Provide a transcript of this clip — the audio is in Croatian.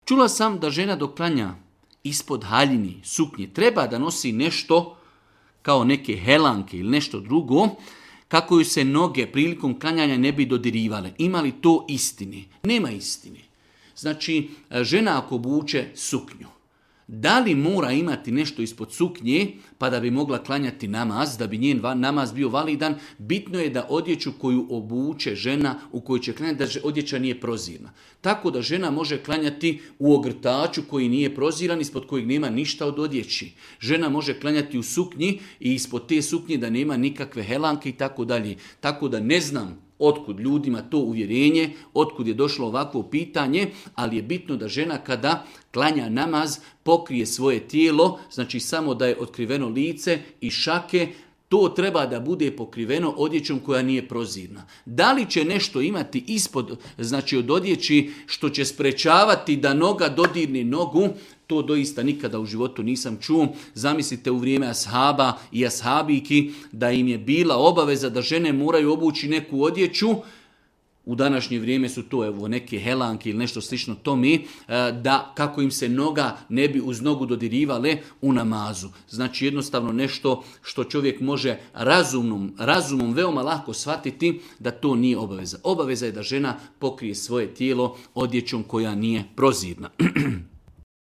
Čula sam da žena dok klanja ispod haljini, suknje, treba da nosi nešto kao neke helanke ili nešto drugo, kako ju se noge prilikom klanjanja ne bi dodirivale. Ima li to istine? Nema istine. Znači, žena ako obuče suknju, da li mora imati nešto ispod suknje pa da bi mogla klanjati namaz, da bi njen namaz bio validan? Bitno je da odjeću koju obuče žena u kojoj će klanjati, da odjeća nije prozirna. Tako da žena može klanjati u ogrtaču koji nije proziran, ispod kojeg nema ništa od odjeći. Žena može klanjati u suknji i ispod te suknje da nema nikakve helanke i tako dalje. Tako da ne znam otkud ljudima to uvjerenje, otkud je došlo ovakvo pitanje, ali je bitno da žena kada klanja namaz pokrije svoje tijelo, znači samo da je otkriveno lice i šake, to treba da bude pokriveno odjećom koja nije prozirna. Da li će nešto imati ispod, znači od odjeći što će sprečavati da noga dodirne nogu, to doista nikada u životu nisam čuo. Zamislite u vrijeme ashaba i ashabiki da im je bila obaveza da žene moraju obući neku odjeću. U današnje vrijeme su to neke helanke ili nešto slično tome, da kako im se noga ne bi uz nogu dodirivale u namazu. Znači jednostavno nešto što čovjek može razumom veoma lako shvatiti da to nije obaveza. Obaveza je da žena pokrije svoje tijelo odjećom koja nije prozirna.